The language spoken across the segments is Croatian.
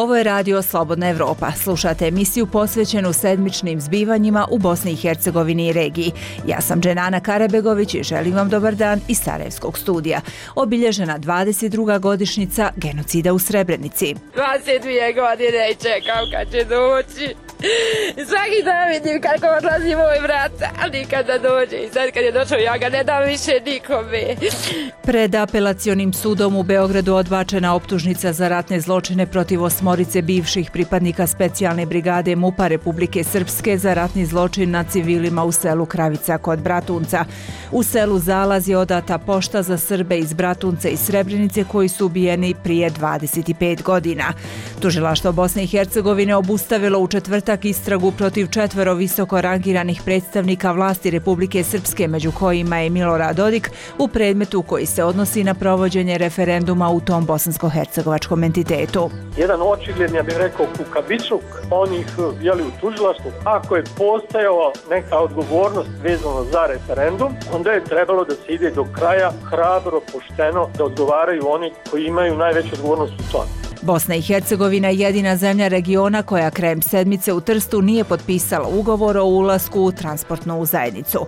Ovo je radio Slobodna Evropa. Slušate emisiju posvećenu sedmičnim zbivanjima u Bosni i Hercegovini i regiji. Ja sam Dženana Karabegović i želim vam dobar dan iz Sarajevskog studija. Obilježena 22. godišnjica genocida u Srebrenici. 22 godine i čekam kad će doći. Svaki dan vidim kako odlazi moj brat, ali nikada dođe. I sad kad je došao, ja ga ne dam više nikome. Pred apelacionim sudom u Beogradu odbačena optužnica za ratne zločine protiv 8 bivših pripadnika specijalne brigade MUP-a Republike Srpske za ratni zločin na civilima u selu Kravica kod Bratunca. U selu Zalaz je odata pošta za Srbe iz Bratunca i Srebrenice koji su ubijeni prije 25 godina. Tužilaštvo Bosne i Hercegovine obustavilo u četvrtak istragu protiv 4 visoko rangiranih predstavnika vlasti Republike Srpske, među kojima je Milorad Dodik, u predmetu koji se odnosi na provođenje referenduma u tom bosansko-hercegovačkom entitetu. Jedan očigledni, ja bih rekao, kukavičluk onih u tužilaštvu. Ako je postojala neka odgovornost vezano za referendum, onda je trebalo da se ide do kraja hrabro, pošteno, da odgovaraju oni koji imaju najveću odgovornost u tome. Bosna i Hercegovina je jedina zemlja regiona koja krajem sedmice u Trstu nije potpisala ugovor o ulasku u transportnu zajednicu.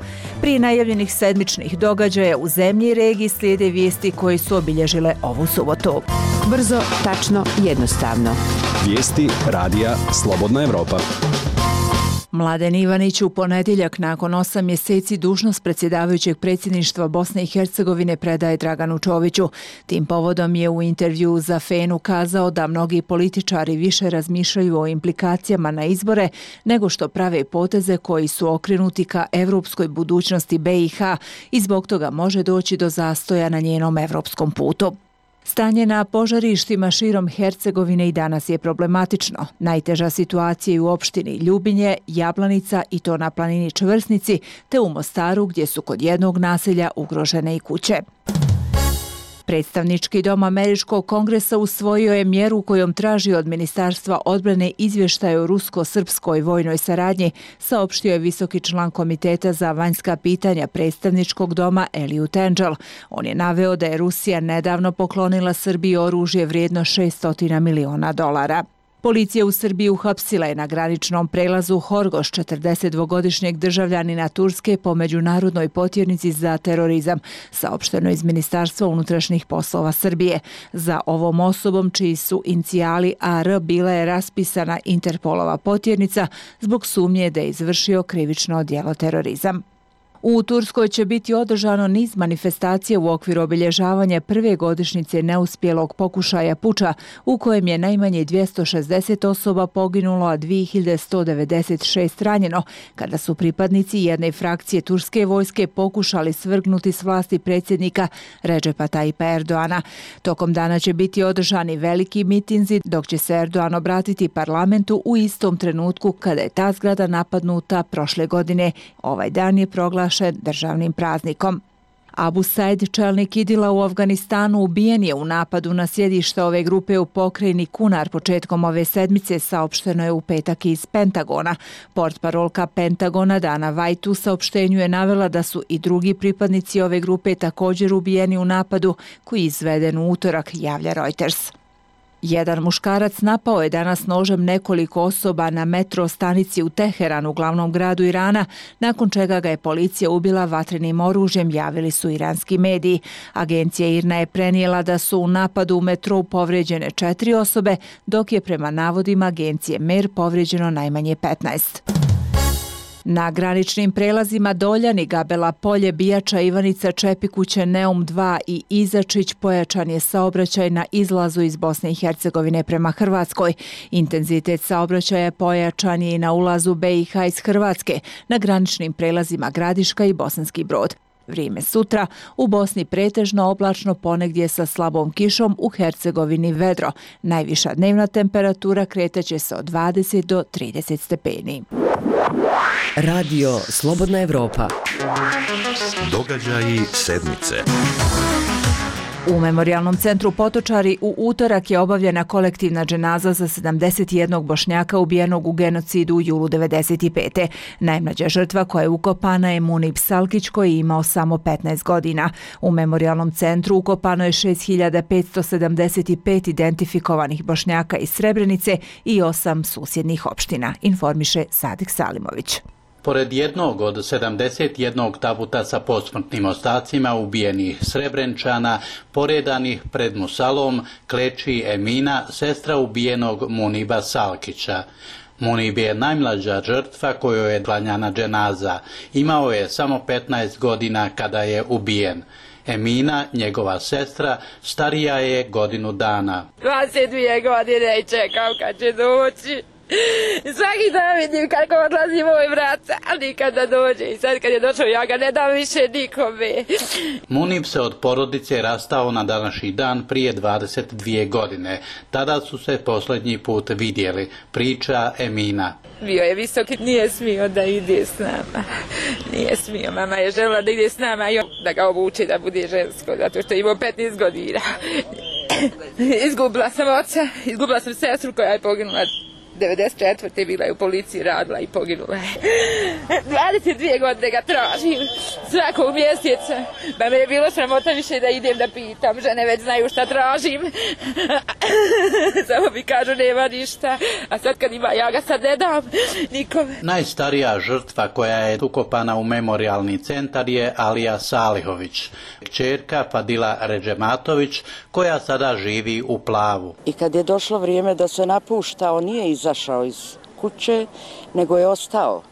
Prije najavljenih sedmičnih događaja u zemlji i regiji slijede vijesti koje su obilježile ovu subotu. Brzo, tačno, jednostavno. Vijesti radija Slobodna Evropa. Mladen Ivanić u ponedjeljak nakon 8 mjeseci dužnost predsjedavajućeg predsjedništva Bosne i Hercegovine predaje Draganu Čoviću. Tim povodom je u intervjuu za Fenu kazao da mnogi političari više razmišljaju o implikacijama na izbore nego što prave poteze koji su okrenuti ka evropskoj budućnosti BiH i zbog toga može doći do zastoja na njenom evropskom putu. Stanje na požarištima širom Hercegovine i danas je problematično. Najteža situacija je u opštini Ljubinje, Jablanica i to na planini Čvrsnici, te u Mostaru gdje su kod jednog naselja ugrožene i kuće. Predstavnički dom Američkog kongresa usvojio je mjeru kojom traži od Ministarstva odbrane izvještaj o rusko-srpskoj vojnoj saradnji, saopštio je visoki član Komiteta za vanjska pitanja Predstavničkog doma Eliot Engel. On je naveo da je Rusija nedavno poklonila Srbiji oružje vrijedno $600 miliona. Policija u Srbiji uhapsila je na graničnom prelazu Horgoš 42-godišnjeg državljanina Turske po međunarodnoj potjernici za terorizam, saopšteno iz Ministarstva unutrašnjih poslova Srbije. Za ovom osobom, čiji su inicijali AR, bila je raspisana Interpolova potjernica zbog sumnje da je izvršio krivično djelo terorizam. U Turskoj će biti održano niz manifestacija u okviru obilježavanja prve godišnjice neuspjelog pokušaja puča u kojem je najmanje 260 osoba poginulo, a 2196 ranjeno, kada su pripadnici jedne frakcije turske vojske pokušali svrgnuti s vlasti predsjednika Redžepa Tajipa Erdoana. Tokom dana će biti održani veliki mitinzi, dok će se Erdoan obratiti parlamentu u istom trenutku kada je ta zgrada napadnuta prošle godine. Ovaj dan je proglašen državnim praznikom. Abu Said, čelnik Idila u Afganistanu, ubijen je u napadu na sjedište ove grupe u pokrajini Kunar početkom ove sedmice, saopšteno je u petak iz Pentagona. Portparolka Pentagona Dana White u saopštenju je navela da su i drugi pripadnici ove grupe također ubijeni u napadu koji je izveden u utorak, javlja Reuters. Jedan muškarac napao je danas nožem nekoliko osoba na metro stanici u Teheranu, glavnom gradu Irana, nakon čega ga je policija ubila vatrenim oružjem, javili su iranski mediji. Agencija IRNA je prenijela da su u napadu u metrou povrijeđene 4 osobe, dok je prema navodima agencije MER povrijeđeno najmanje 15. Na graničnim prelazima Doljani, Gabela Polje, Bijača, Ivanica, Čepikuće, Neum 2 i Izačić pojačan je saobraćaj na izlazu iz Bosne i Hercegovine prema Hrvatskoj. Intenzitet saobraćaja pojačan je i na ulazu BiH iz Hrvatske, na graničnim prelazima Gradiška i Bosanski Brod. Vrijeme sutra, u Bosni pretežno oblačno, ponegdje sa slabom kišom, u Hercegovini vedro. Najviša dnevna temperatura kretaće se od 20 do 30 stepeni. Radio Slobodna Evropa. Događaji sedmice. U Memorijalnom centru Potočari u utorak je obavljena kolektivna dženaza za 71 Bošnjaka ubijenog u genocidu u julu 1995. Najmlađa žrtva koja je ukopana je Munib Salkić koji je imao samo 15 godina. U Memorijalnom centru ukopano je 6575 identifikovanih Bošnjaka iz Srebrenice i 8 susjednih opština, informiše Sadik Salimović. Pored jednog od 71 tabuta sa posmrtnim ostacima ubijenih Srebrenčana, poredanih pred musalom, kleči Emina, sestra ubijenog Muniba Salkića. Munib je najmlađa žrtva kojoj je klanjana dženaza. Imao je samo 15 godina kada je ubijen. Emina, njegova sestra, starija je godinu dana. 22 godine i čekam kad će doći. Svaki dan vidim kako odlazi moj brat, ali nikada dođe. I sad kad je došao ja ga ne dam više nikome. Munib se od porodice rastao na današnji dan prije 22 godine. Tada su se posljednji put vidjeli, priča Emina. Bio je visok, nije smio da ide s nama. Nije smio, mama je željela da ide s nama i da ga obuči da bude žensko, zato što je imao 15 godina. Izgubila sam oca, izgubila sam sestru koja je poginula 94. bila je u policiji, radila i poginula je. 22 godine ga tražim, svakog mjeseca. Pa me je bilo sramota više da idem da pitam, žene već znaju šta tražim. Samo mi kažu nema ništa, a sad kad ima ja ga sad ne dam nikome. Najstarija žrtva koja je ukopana u memorijalni centar je Alija Salihović, kćerka Fadila Redžematović koja sada živi u Plavu. I kad je došlo vrijeme da se napušta, on nije izašao iz kuće, nego je ostao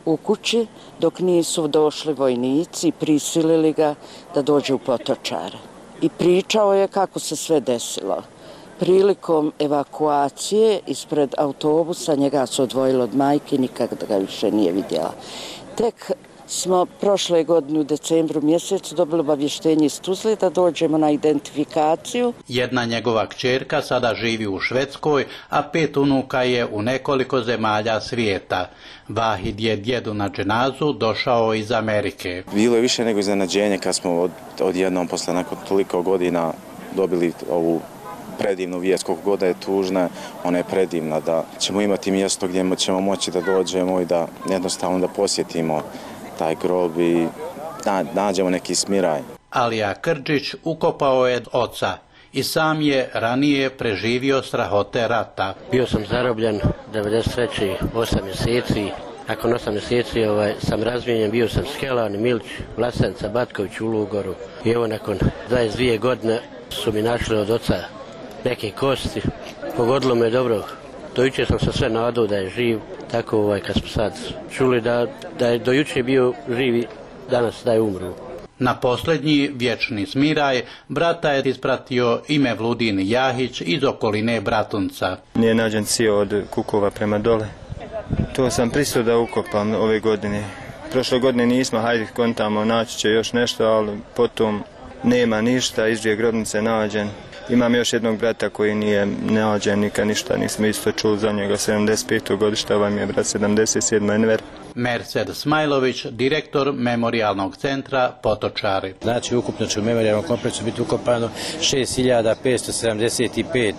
u kući dok nisu došli vojnici i prisilili ga da dođe u Potočare. I pričao je kako se sve desilo. Prilikom evakuacije ispred autobusa njega su odvojili od majke, nikada ga više nije vidjela. Tek smo prošle godine u decembru mjesecu dobili obavještenje iz Tuzle da dođemo na identifikaciju. Jedna njegova kćerka sada živi u Švedskoj, a 5 unuka je u nekoliko zemalja svijeta. Vahid je djedu na dženazu došao iz Amerike. Bilo je više nego iznenađenje kad smo odjednom posle nakon toliko godina dobili ovu predivnu vijest, koliko god je tužna, ona je predivna, da ćemo imati mjesto gdje ćemo moći da dođemo i da jednostavno da posjetimo taj grob i nađemo neki smiraj. Alija Krđić ukopao je oca i sam je ranije preživio strahote rata. Bio sam zarobljen 93. 8 mjeseci. Nakon 8 mjeseci sam razmijenjen, bio sam Skelan, Milić, Vlasenca, Batković u Lugoru. I evo nakon 22 godine su mi našli od oca neke kosti. Pogodilo me dobro. Do jučer sam se sve nadao da je živ. Tako kad smo sad čuli da je do jučer bio živi, danas da je umru. Na posljednji vječni smiraj brata je ispratio i Mevludin Jahić iz okoline Bratunca. Nije nađen cio od Kukova prema dole. To sam pristao da ukopam ove godine. Prošle godine nismo, hajde kontamo, naći će još nešto, ali potom nema ništa, izđe grobnice nađen. Imam još jednog brata koji nije nađen, nikad ništa nismo isto čuli za njega, 75. godišta, ovaj mi je brat 77. Enver. Merced Smajlović, direktor Memorijalnog centra Potočari. Znači, ukupno će u memorijalnom kompleksu biti ukopano 6575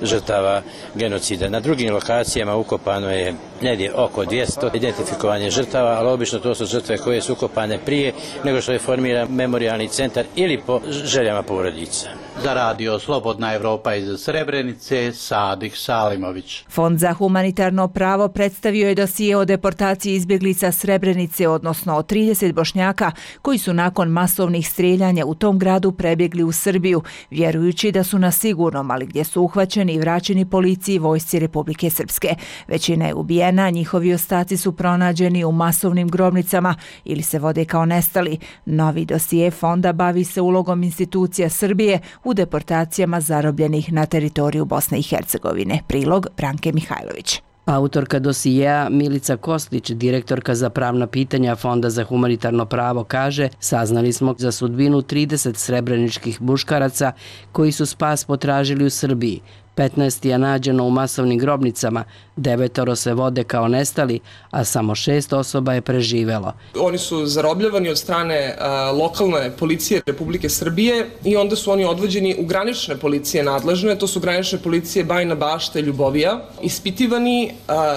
žrtava genocida. Na drugim lokacijama ukopano je negdje oko 200 identifikovanje žrtava, ali obično to su žrtve koje su ukopane prije nego što je formiran memorijalni centar ili po željama porodica. Za radio Slobodna Evropa iz Srebrenice, Sadik Salimović. Fond za humanitarno pravo predstavio je dosije o deportaciji izbjeglica Srebrenice, odnosno o 30 Bošnjaka koji su nakon masovnih streljanja u tom gradu prebjegli u Srbiju, vjerujući da su na sigurnom, ali gdje su uhvaćeni i vraćeni policiji i vojsci Republike Srpske. Većina je ubijena, njihovi ostaci su pronađeni u masovnim grobnicama ili se vode kao nestali. Novi dosije fonda bavi se ulogom institucija Srbije u deportacijama zarobljenih na teritoriju Bosne i Hercegovine. Prilog Branke Mihajlović. Autorka dosijeja Milica Kostlić, direktorka za pravna pitanja Fonda za humanitarno pravo, kaže: saznali smo za sudbinu 30 srebreničkih muškaraca koji su spas potražili u Srbiji. 15 je nađeno u masovnim grobnicama, 9 se vode kao nestali, a samo 6 osoba je preživelo. Oni su zarobljavani od strane lokalne policije Republike Srbije i onda su oni odvođeni u granične policije nadležne, to su granične policije Bajina Bašta i Ljubovija, ispitivani,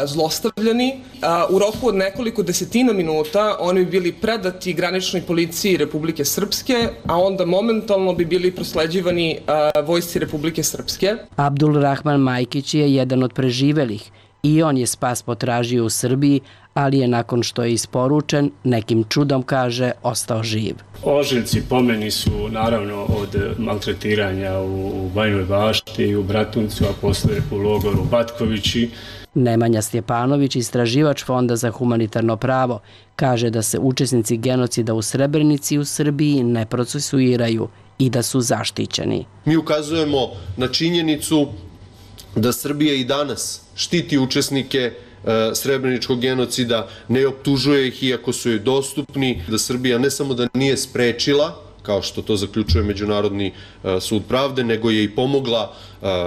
zlostavljani. U roku od nekoliko desetina minuta oni bi bili predati graničnoj policiji Republike Srpske, a onda momentalno bi bili prosleđivani vojsci Republike Srpske. Abdul Rahman Majkić je jedan od preživelih i on je spas potražio u Srbiji, ali je nakon što je isporučen, nekim čudom, kaže, ostao živ. Ožiljci po meni su naravno od maltretiranja u Bajinoj Bašti i u Bratuncu, a posle u logoru Batkovići. Nemanja Stjepanović, istraživač Fonda za humanitarno pravo, kaže da se učesnici genocida u Srebrenici u Srbiji ne procesuiraju i da su zaštićeni. Mi ukazujemo na činjenicu da Srbija i danas štiti učesnike srebreničkog genocida, ne optužuje ih iako su joj dostupni, da Srbija ne samo da nije sprečila, kao što to zaključuje Međunarodni sud pravde, nego je i pomogla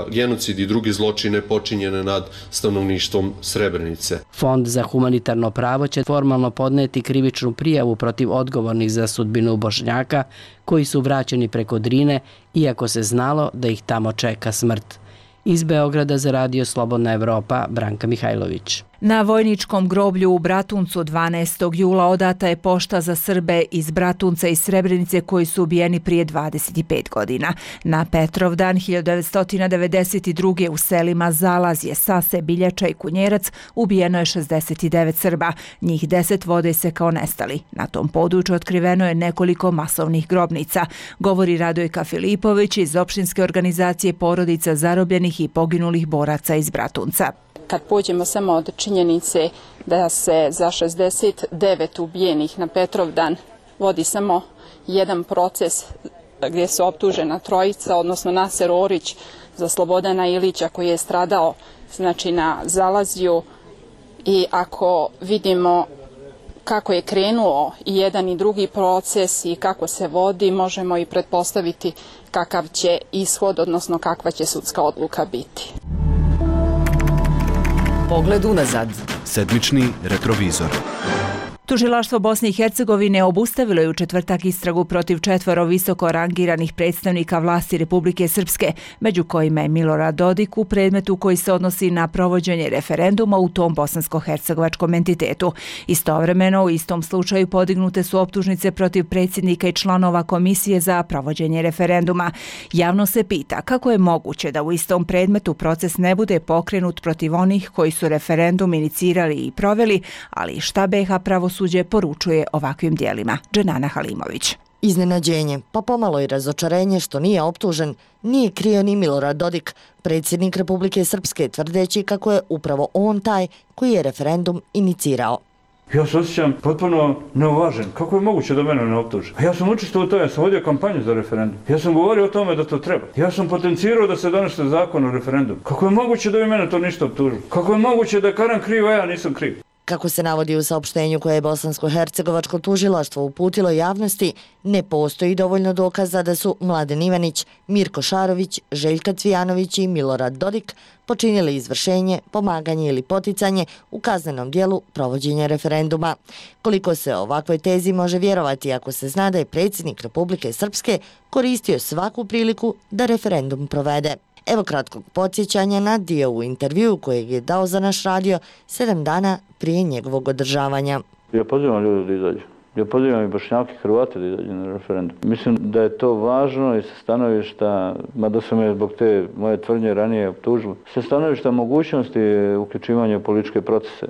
genocid i druge zločine počinjene nad stanovništvom Srebrenice. Fond za humanitarno pravo će formalno podneti krivičnu prijavu protiv odgovornih za sudbinu Bošnjaka koji su vraćeni preko Drine, iako se znalo da ih tamo čeka smrt. Iz Beograda za Radio Slobodna Evropa, Branka Mihajlović. Na vojničkom groblju u Bratuncu 12. jula odata je pošta za Srbe iz Bratunca i Srebrenice koji su ubijeni prije 25 godina. Na Petrovdan 1992. u selima Zalazje, Sase, Biljača i Kunjerac ubijeno je 69 Srba. Njih 10 vode se kao nestali. Na tom području otkriveno je nekoliko masovnih grobnica, govori Radojka Filipović iz opštinske organizacije porodica zarobljenih i poginulih boraca iz Bratunca. Kad pođemo samo od činjenice da se za 69 ubijenih na Petrovdan vodi samo jedan proces gdje su optužena trojica, odnosno Naser Orić za Slobodana Ilića koji je stradao znači na Zalazju, i ako vidimo kako je krenuo i jedan i drugi proces i kako se vodi, možemo i pretpostaviti kakav će ishod, odnosno kakva će sudska odluka biti. Pogled unazad. Sedmični retrovizor. Tužilaštvo Bosne i Hercegovine obustavilo je u četvrtak istragu protiv 4 visoko rangiranih predstavnika vlasti Republike Srpske, među kojima je Milorad Dodik u predmetu koji se odnosi na provođenje referenduma u tom bosansko-hercegovačkom entitetu. Istovremeno, u istom slučaju podignute su optužnice protiv predsjednika i članova Komisije za provođenje referenduma. Javno se pita kako je moguće da u istom predmetu proces ne bude pokrenut protiv onih koji su referendum inicirali i proveli, ali šta BiH pravosuđe poručuje ovakvim dijelima. Dženana Halimović. Iznenađenje, pa pomalo i razočarenje što nije optužen, nije krio ni Milorad Dodik, predsjednik Republike Srpske, tvrdeći kako je upravo on taj koji je referendum inicirao. Ja se osjećam potpuno neuvažen. Kako je moguće da mene ne optuže? Ja sam učestvovao u tome, ja sam vodio kampanju za referendum. Ja sam govorio o tome da to treba. Ja sam potencirao da se donese zakon o referendumu. Kako je moguće da vi mene to ništa optužili? Kako je moguće da je Karan kriv, a ja nisam kriv? Kako se navodi u saopštenju koje je Bosansko-hercegovačko tužilaštvo uputilo javnosti, ne postoji dovoljno dokaza da su Mladen Ivanić, Mirko Šarović, Željka Cvijanović i Milorad Dodik počinili izvršenje, pomaganje ili poticanje u kaznenom dijelu provođenja referenduma. Koliko se ovakvoj tezi može vjerovati ako se zna da je predsjednik Republike Srpske koristio svaku priliku da referendum provede. Evo kratkog podsjećanja na dio u intervju kojeg je dao za naš radio 7 dana prije njegovog održavanja. Ja pozivam ljudi da izađu. Ja pozivam i Bošnjake i Hrvate da izađu na referendum. Mislim da je to važno i sa stanovišta, mada su me zbog te moje tvrdnje ranije optužili, sa stanovišta mogućnosti uključivanja u političke procese.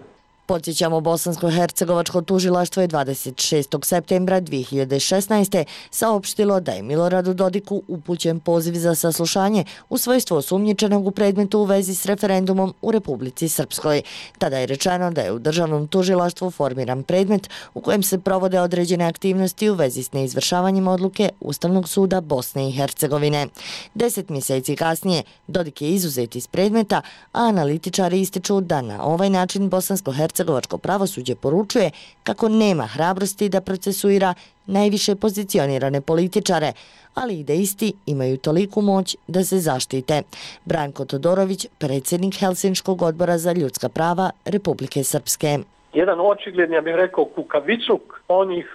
Podsjećamo, Bosansko-hercegovačko tužilaštvo je 26. septembra 2016. saopštilo da je Miloradu Dodiku upućen poziv za saslušanje u svojstvu osumnjičenog u predmetu u vezi s referendumom u Republici Srpskoj. Tada je rečeno da je u državnom tužilaštvu formiran predmet u kojem se provode određene aktivnosti u vezi s neizvršavanjem odluke Ustavnog suda Bosne i Hercegovine. 10 mjeseci kasnije Dodik je izuzet iz predmeta, a analitičari ističu da na ovaj način Bosansko-hercegovačko bosansko-hercegovačko pravosuđe poručuje kako nema hrabrosti da procesuira najviše pozicionirane političare, ali i da isti imaju toliku moć da se zaštite. Branko Todorović, predsjednik Helsinškog odbora za ljudska prava Republike Srpske. Jedan očigledni, ja bih rekao, kukavičluk onih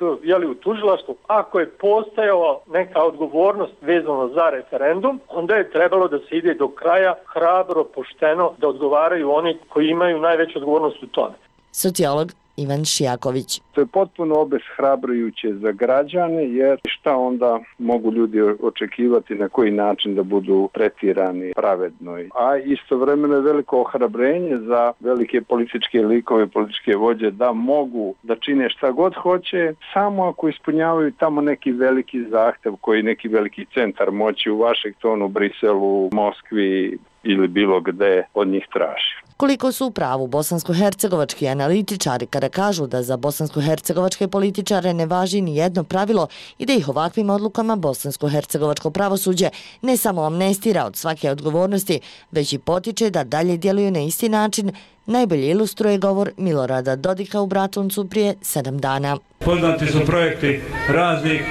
u tužilaštvu. Ako je postojala neka odgovornost vezano za referendum, onda je trebalo da se ide do kraja hrabro, pošteno, da odgovaraju oni koji imaju najveću odgovornost u tome. Sociolog Ivan Šijaković. To je potpuno obeshrabrujuće za građane, jer šta onda mogu ljudi očekivati, na koji način da budu tretirani pravedno. A istovremeno je veliko ohrabrenje za velike političke likove, političke vođe da mogu da čine šta god hoće, samo ako ispunjavaju tamo neki veliki zahtev koji neki veliki centar moći u Vašingtonu, Briselu, Moskvi ili bilo gde od njih traži. Koliko su u pravu bosansko-hercegovački analitičari kada kažu da za bosansko-hercegovačke političare ne važi ni jedno pravilo i da ih ovakvim odlukama bosansko-hercegovačko pravosuđe ne samo amnestira od svake odgovornosti, već i potiče da dalje djeluju na isti način, najbolje ilustruje govor Milorada Dodika u Bratuncu prije 7 dana. Poznati su projekti raznih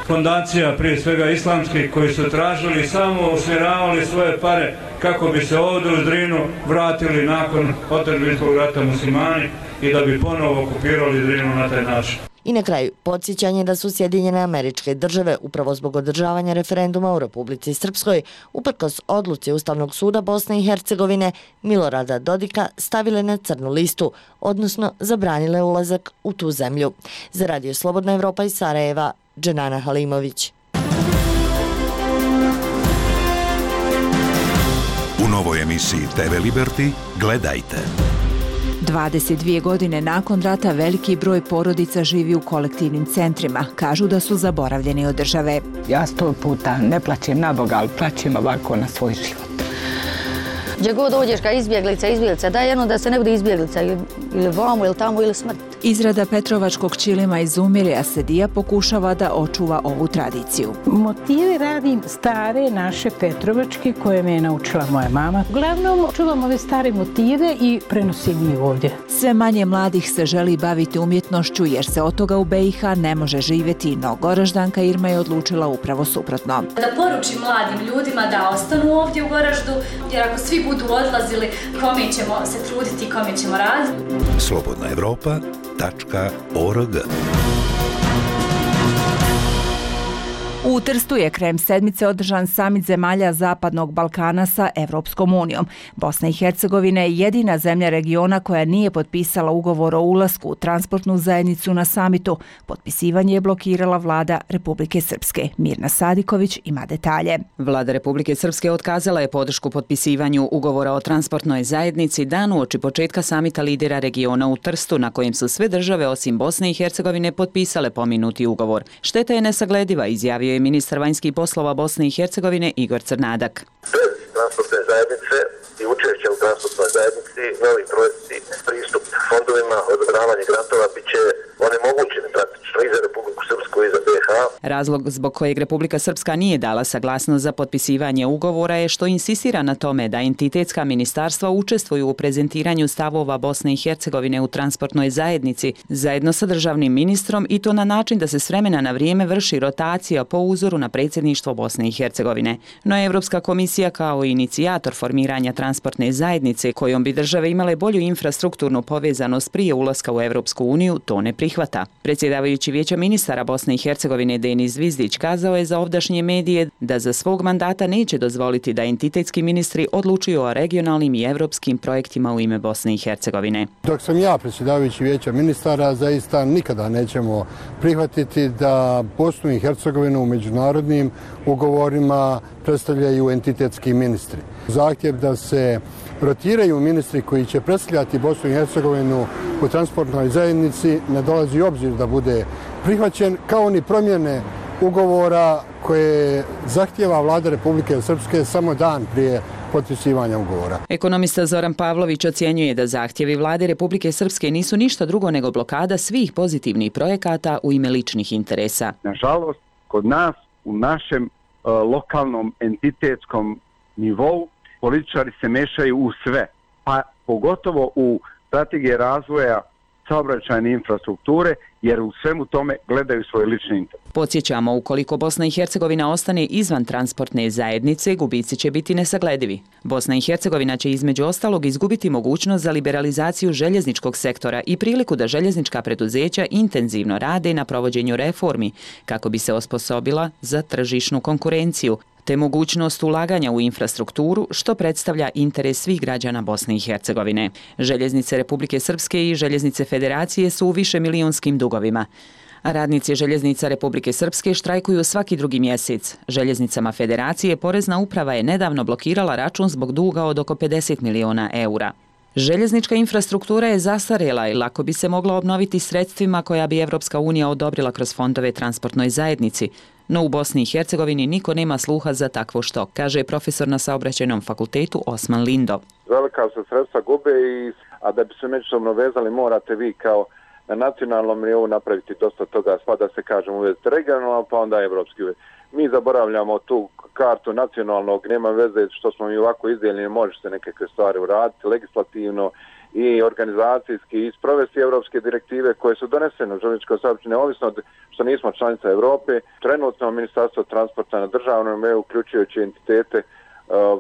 fondacija, prije svega islamskih, koji su tražili i samo usmjeravali svoje pare kako bi se ovdje u Drinu vratili nakon otadžbinskog rata muslimani i da bi ponovo okupirali Drinu na taj način. I na kraju, podsjećanje da su Sjedinjene Američke Države upravo zbog održavanja referenduma u Republici Srpskoj, uprkos odluci Ustavnog suda Bosne i Hercegovine, Milorada Dodika stavile na crnu listu, odnosno zabranile ulazak u tu zemlju. Za Radio Slobodna Evropa iz Sarajeva, Dženana Halimović. U novoj emisiji TV Liberty gledajte. 22 godine nakon rata veliki broj porodica živi u kolektivnim centrima. Kažu da su zaboravljeni od države. Ja 100 puta ne plaćem na Boga, ali plaćem ovako na svoj život. Gdje god dođeš kao izbjeglica, daj jedno da se ne bude izbjeglica ili vamo ili tamo ili smrt. Izrada petrovačkog ćilima izumire, a Sedija pokušava da očuva ovu tradiciju. Motive radim stare naše petrovačke koje me je naučila moja mama. Uglavnom čuvam ove stare motive i prenosim ih ovdje. Sve manje mladih se želi baviti umjetnošću jer se od toga u BiH ne može živjeti, no Goraždanka Irma je odlučila upravo suprotno. Da poručim mladim ljudima da ostanu ovdje u Goraždu, jer ako svi budu odlazili, kome ćemo se truditi, kome ćemo raditi. Slobodna Evropa.org. U Trstu je krajem sedmice održan samit zemalja Zapadnog Balkana sa Evropskom unijom. Bosna i Hercegovina je jedina zemlja regiona koja nije potpisala ugovor o ulasku u transportnu zajednicu na samitu. Potpisivanje je blokirala vlada Republike Srpske. Mirna Sadiković ima detalje. Vlada Republike Srpske otkazala je podršku potpisivanju ugovora o transportnoj zajednici dan uoči početka samita lidera regiona u Trstu, na kojem su sve države osim Bosne i Hercegovine potpisale pomenuti ugovor. Šteta je nesaglediva, izjavio je ministar vanjskih poslova Bosne i Hercegovine Igor Crnadak. Bez transportne zajednice i učešća u transportnoj zajednici, novi projekti, pristup fondovima, odobravanje grantova bit će onemogućeni praktično i za Republiku Srpsku i za BiH. Razlog zbog kojeg Republika Srpska nije dala saglasnost za potpisivanje ugovora je što insistira na tome da entitetska ministarstva učestvuju u prezentiranju stavova Bosne i Hercegovine u transportnoj zajednici zajedno sa državnim ministrom i to na način da se s vremena na vrijeme vrši rotacija po uzoru na predsjedništvo Bosne i Hercegovine. No Evropska komisija kao inicijator formiranja transportne zajednice kojom bi države imale bolju infrastrukturnu povezanost prije ulaska u Evropsku uniju to ne prihvata. Predsjedavajući Vijeća ministara Bosne i Hercegovine Denis Zvizdić kazao je za ovdašnje medije da za svog mandata neće dozvoliti da entitetski ministri odlučuju o regionalnim i evropskim projektima u ime Bosne i Hercegovine. Dok sam ja predsjedavajući Vijeća ministara, zaista nikada nećemo prihvatiti da Bosnu i Hercegovinu u međunarodnim ugovorima predstavljaju entitetski ministri. Zahtjev da se rotiraju ministri koji će predstavljati Bosnu i Hercegovinu u transportnoj zajednici ne dolazi u obzir da bude prihvaćen, kao ni promjene ugovora koje zahtjeva vlada Republike Srpske samo dan prije potpisivanja ugovora. Ekonomista Zoran Pavlović ocjenjuje da zahtjevi vlade Republike Srpske nisu ništa drugo nego blokada svih pozitivnih projekata u ime ličnih interesa. Nažalost, kod nas u našem lokalnom entitetskom nivou političari se mešaju u sve, pa pogotovo u strategije razvoja saobraćajne infrastrukture, jer u svemu tome gledaju svoj lični interes. Podsjećamo, ukoliko Bosna i Hercegovina ostane izvan transportne zajednice, gubici će biti nesagledivi. Bosna i Hercegovina će između ostalog izgubiti mogućnost za liberalizaciju željezničkog sektora i priliku da željeznička preduzeća intenzivno rade na provođenju reformi kako bi se osposobila za tržišnu konkurenciju, te mogućnost ulaganja u infrastrukturu, što predstavlja interes svih građana Bosne i Hercegovine. Željeznice Republike Srpske i Željeznice Federacije su u višemilijunskim dugovima. A radnici Željeznica Republike Srpske štrajkuju svaki drugi mjesec. Željeznicama Federacije Porezna uprava je nedavno blokirala račun zbog duga od oko 50 miliona eura. Željeznička infrastruktura je zastarjela i lako bi se mogla obnoviti sredstvima koja bi Evropska unija odobrila kroz fondove transportnoj zajednici, no u Bosni i Hercegovini niko nema sluha za takvo što, kaže profesor na Saobraćajnom fakultetu Osman Lindo. Velika se sredstva gube, a da bi se međusobno vezali morate vi kao na nacionalnom nivou napraviti dosta toga, pa da se kažemo uvesti regionalno, pa onda evropski uvesti. Mi zaboravljamo tu kartu nacionalnog, nema veze što smo mi ovako izdijeljeni, može se nekakve stvari uraditi legislativno i organizacijski i sprovesti evropske direktive koje su donesene u željezničkom saobraćaju, neovisno što nismo članica Europe. Trenutno Ministarstvo transporta na državnom nivou, uključujući entitete,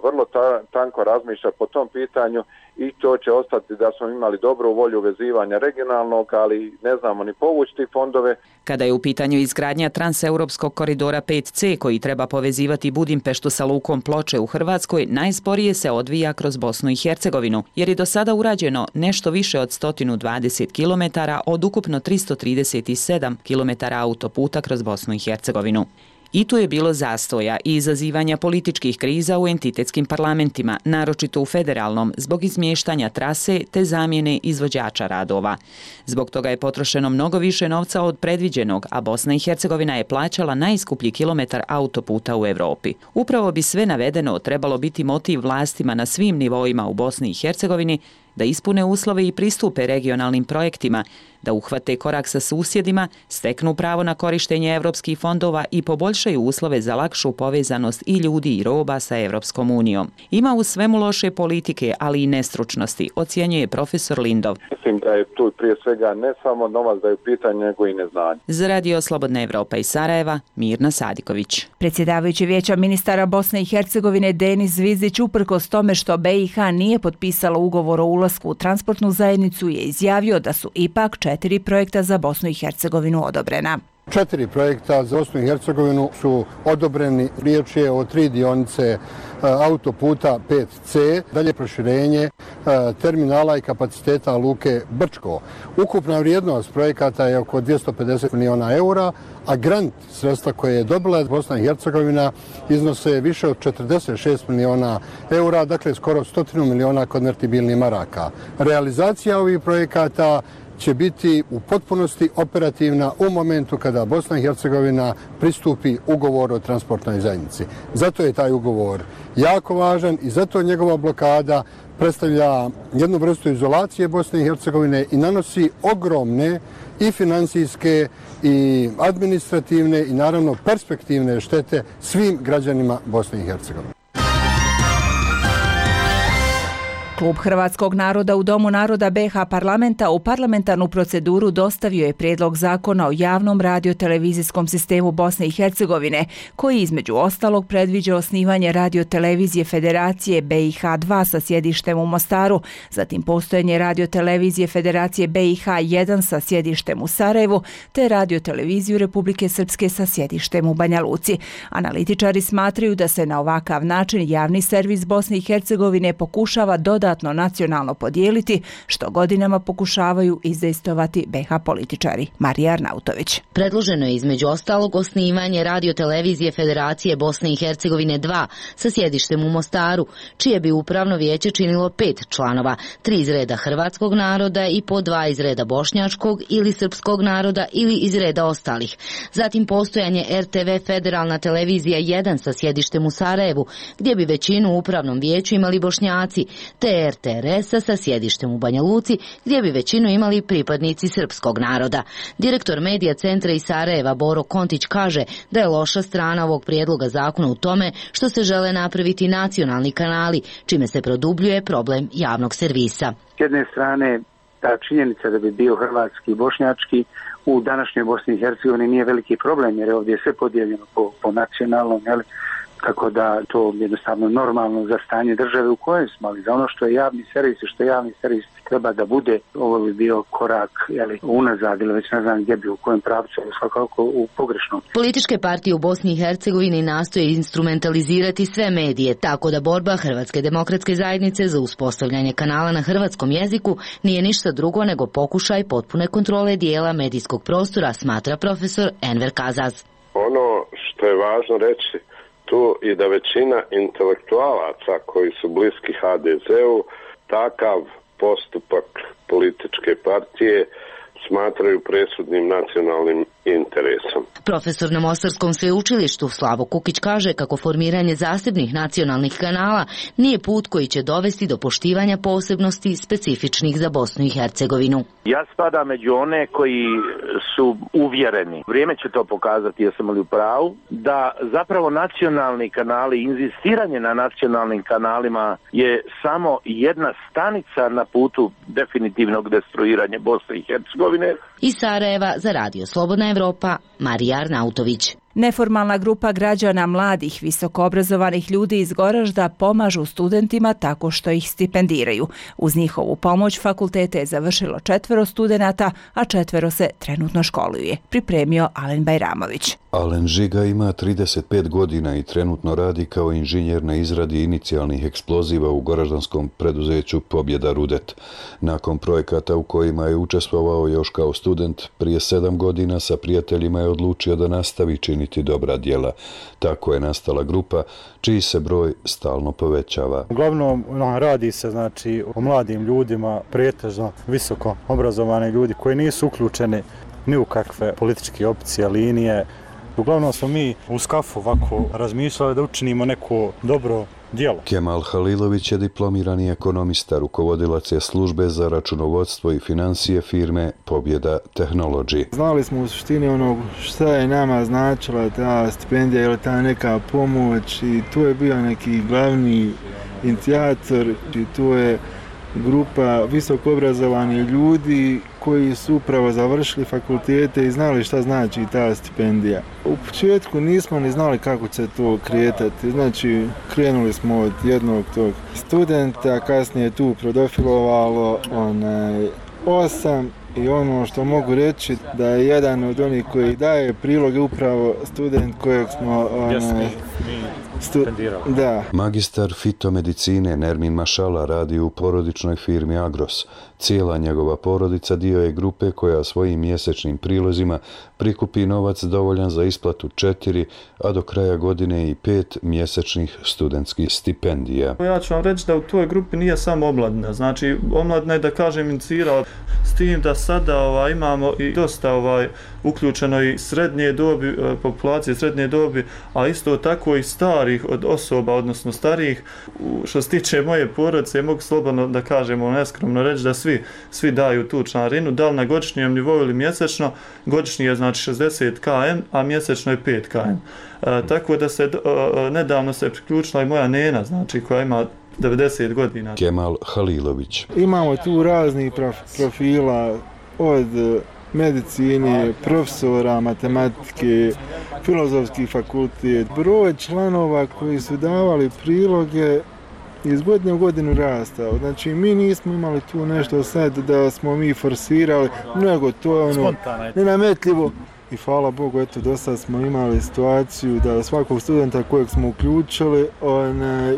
vrlo tanko razmišlja po tom pitanju i to će ostati da smo imali dobru volju vezivanja regionalnog, ali ne znamo ni povući fondove. Kada je u pitanju izgradnja transeuropskog koridora 5C koji treba povezivati Budimpeštu sa lukom Ploče u Hrvatskoj, najsporije se odvija kroz Bosnu i Hercegovinu, jer je do sada urađeno nešto više od 120 km od ukupno 337 km autoputa kroz Bosnu i Hercegovinu. I tu je bilo zastoja i izazivanja političkih kriza u entitetskim parlamentima, naročito u federalnom, zbog izmještanja trase te zamjene izvođača radova. Zbog toga je potrošeno mnogo više novca od predviđenog, a Bosna i Hercegovina je plaćala najskuplji kilometar autoputa u Europi. Upravo bi sve navedeno trebalo biti motiv vlastima na svim nivoima u Bosni i Hercegovini da ispune uslove i pristupe regionalnim projektima, da uhvate korak sa susjedima, steknu pravo na korištenje evropskih fondova i poboljšaju uslove za lakšu povezanost i ljudi i roba sa Evropskom unijom. Ima u svemu loše politike, ali i nestručnosti, ocjenjuje profesor Lindov. Mislim da je tu prije svega ne samo novac da je u pitanju, nego i neznanje. Za Radio Slobodna Evropa iz Sarajeva, Mirna Sadiković. Predsjedavajući Vijeća ministara Bosne i Hercegovine Denis Zvizdić, uprkos tome što BiH nije potpisala ugovor o ulasku u transportnu zajednicu, je izjavio da su ipak 4 projekta za Bosnu i Hercegovinu odobrena. 4 projekta za Bosnu i Hercegovinu su odobreni. Riječ je o 3 dionice autoputa 5C, dalje proširenje terminala i kapaciteta luke Brčko. Ukupna vrijednost projekata je oko 250 miliona eura, a grant sredstva koje je dobila Bosna i Hercegovina iznose više od 46 miliona eura, dakle skoro 100 miliona konvertibilnih maraka. Realizacija ovih projekata će biti u potpunosti operativna u momentu kada Bosna i Hercegovina pristupi ugovoru o transportnoj zajednici. Zato je taj ugovor jako važan i zato njegova blokada predstavlja jednu vrstu izolacije Bosne i Hercegovine i nanosi ogromne i financijske i administrativne i naravno perspektivne štete svim građanima Bosne i Hercegovine. Klub Hrvatskog naroda u Domu naroda BiH parlamenta u parlamentarnu proceduru dostavio je prijedlog zakona o javnom radiotelevizijskom sistemu Bosne i Hercegovine, koji između ostalog predviđa osnivanje radiotelevizije Federacije BiH-2 sa sjedištem u Mostaru, zatim postojanje radiotelevizije Federacije BiH-1 sa sjedištem u Sarajevu, te radioteleviziju Republike Srpske sa sjedištem u Banja Luci. Analitičari smatraju da se na ovakav način javni servis Bosne i Hercegovine pokušava dodatno nacionalno podijeliti, što godinama pokušavaju izdejstovati BiH političari. Marija Arnautović. Predloženo je između ostalog osnivanje radiotelevizije Federacije Bosne i Hercegovine 2 sa sjedištem u Mostaru, čije bi upravno vijeće činilo 5 članova, 3 iz reda hrvatskog naroda i po 2 iz reda bošnjačkog ili srpskog naroda ili iz reda ostalih. Zatim postojanje RTV Federalna televizija 1 sa sjedištem u Sarajevu, gdje bi većinu u upravnom vijeću imali Bošnjaci, te RTRS-a sa sjedištem u Banja Luci, gdje bi većinu imali pripadnici srpskog naroda. Direktor medija centra iz Sarajeva Boro Kontić kaže da je loša strana ovog prijedloga zakona u tome što se žele napraviti nacionalni kanali, čime se produbljuje problem javnog servisa. S jedne strane ta činjenica da bi bio hrvatski i bošnjački u današnjoj Bosni i Hercegovini nije veliki problem, jer je ovdje sve podijeljeno po nacionalnom, jel? Tako da to je jednostavno normalno za stanje države u kojoj smo, ali za ono što je javni servis i što je javni servis treba da bude, ovo bi bio korak unazad ili već ne znam gdje bi, u kojem pravcu, svakako u pogrešnom. Političke partije u Bosni i Hercegovini nastoje instrumentalizirati sve medije, tako da borba Hrvatske demokratske zajednice za uspostavljanje kanala na hrvatskom jeziku nije ništa drugo nego pokušaj potpune kontrole dijela medijskog prostora, smatra profesor Enver Kazaz. Ono što je važno reći tu i da većina intelektualaca koji su bliski HDZ-u takav postupak političke partije smatraju presudnim nacionalnim interesom. Profesor na Mostarskom sveučilištu Slavo Kukić kaže kako formiranje zasebnih nacionalnih kanala nije put koji će dovesti do poštivanja posebnosti specifičnih za Bosnu i Hercegovinu. Ja spadam među one koji su uvjereni, vrijeme će to pokazati, jesam li u pravu, da zapravo nacionalni kanali, inzistiranje na nacionalnim kanalima je samo jedna stanica na putu definitivnog destruiranja Bosne i Hercegovine. Iz Sarajeva za Radio Slobodna Evropa, Marija Arnautović. Neformalna grupa građana mladih visokoobrazovanih ljudi iz Goražda pomažu studentima tako što ih stipendiraju. Uz njihovu pomoć fakultete je završilo 4 studenata, a 4 se trenutno školuje. Pripremio Alen Bajramović. Alen Žiga ima 35 godina i trenutno radi kao inženjer na izradi inicijalnih eksploziva u goraždanskom preduzeću Pobjeda Rudet. Nakon projekata u kojima je učestvovao još kao student, prije 7 godina sa prijateljima je odlučio da nastavi činiti dobra djela. Tako je nastala grupa čiji se broj stalno povećava. Uglavnom radi se o mladim ljudima, pretežno visoko obrazovani ljudi koji nisu uključeni ni u kakve političke opcije, linije. Uglavnom smo mi u Skafu ovako razmišljali da učinimo neko dobro djelo. Kemal Halilović je diplomirani ekonomista, rukovodilac je službe za računovodstvo i financije firme Pobjeda Technology. Znali smo u suštini šta je nama značila ta stipendija ili ta neka pomoć i tu je bio neki glavni inicijator i tu je grupa visoko obrazovanih ljudi koji su upravo završili fakultete i znali šta znači ta stipendija. U početku nismo ni znali kako će to kretati. Znači, krenuli smo od jednog tog studenta, kasnije tu prodofilovalo 8 i ono što mogu reći da je jedan od onih koji daje priloge upravo student kojeg smo Da. Magistar fitomedicine Nermin Mašala radi u porodičnoj firmi Agros. Cijela njegova porodica dio je grupe koja svojim mjesečnim prilozima prikupi novac dovoljan za isplatu 4, a do kraja godine i 5 mjesečnih studentskih stipendija. Ja ću vam reći da u toj grupi nije samo omladina. Znači, omladina je, da kažem, inicirala s tim da sada imamo i dosta uključeno i srednje dobi, populacije srednje dobi, a isto tako i starih od osoba, odnosno starijih. Što se tiče moje porodice, mogu slobodno da kažemo neskromno reći da svi daju tu članarinu, da li na godišnjem nivou ili mjesečno. Godišnji je znači 60 km, a mjesečno je 5 km. Tako da se nedavno se priključila i moja nena, znači koja ima 90 godina. Kemal Halilović. Imamo tu raznih profila od medicine, profesora, matematike, filozofski fakultet. Broj članova koji su davali priloge iz godine u godinu rastao. Znači, mi nismo imali tu nešto sad da smo mi forsirali, nego to je nenametljivo. I hvala Bogu, eto, do sad smo imali situaciju da svakog studenta kojeg smo uključili,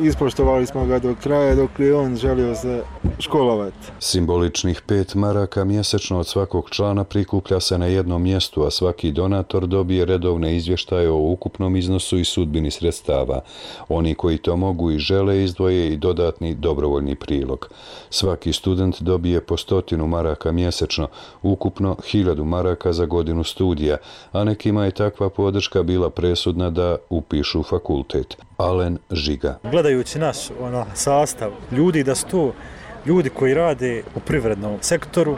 ispoštovali smo ga do kraja dok je on želio se školovati. Simboličnih 5 maraka mjesečno od svakog člana prikuplja se na jednom mjestu, a svaki donator dobije redovne izvještaje o ukupnom iznosu i sudbini sredstava. Oni koji to mogu i žele izdvoje i dodatni dobrovoljni prilog. Svaki student dobije po 100 maraka mjesečno, ukupno 1000 maraka za godinu studija, a nekima je takva podrška bila presudna da upišu fakultet. Alen Žiga. Gledajući naš sastav ljudi, da su to ljudi koji rade u privrednom sektoru,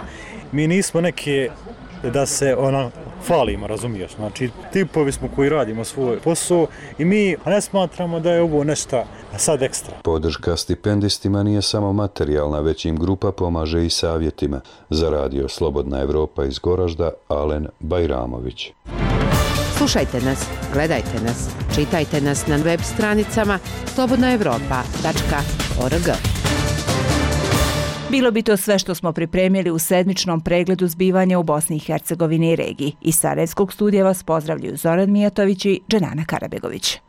mi nismo neke da se falimo, razumiješ. Znači, tipovi smo koji radimo svoj posao i mi ne smatramo da je ovo nešto sad ekstra. Podrška stipendistima nije samo materijalna, već im grupa pomaže i savjetima. Za radio Slobodna Evropa iz Goražda, Alen Bajramović. Slušajte nas, gledajte nas, čitajte nas na web stranicama slobodnaevropa.org. Bilo bi to sve što smo pripremili u sedmičnom pregledu zbivanja u Bosni i Hercegovini i regiji. Iz Sarajevskog studija vas pozdravljaju Zoran Mijatović i Dženana Karabegović.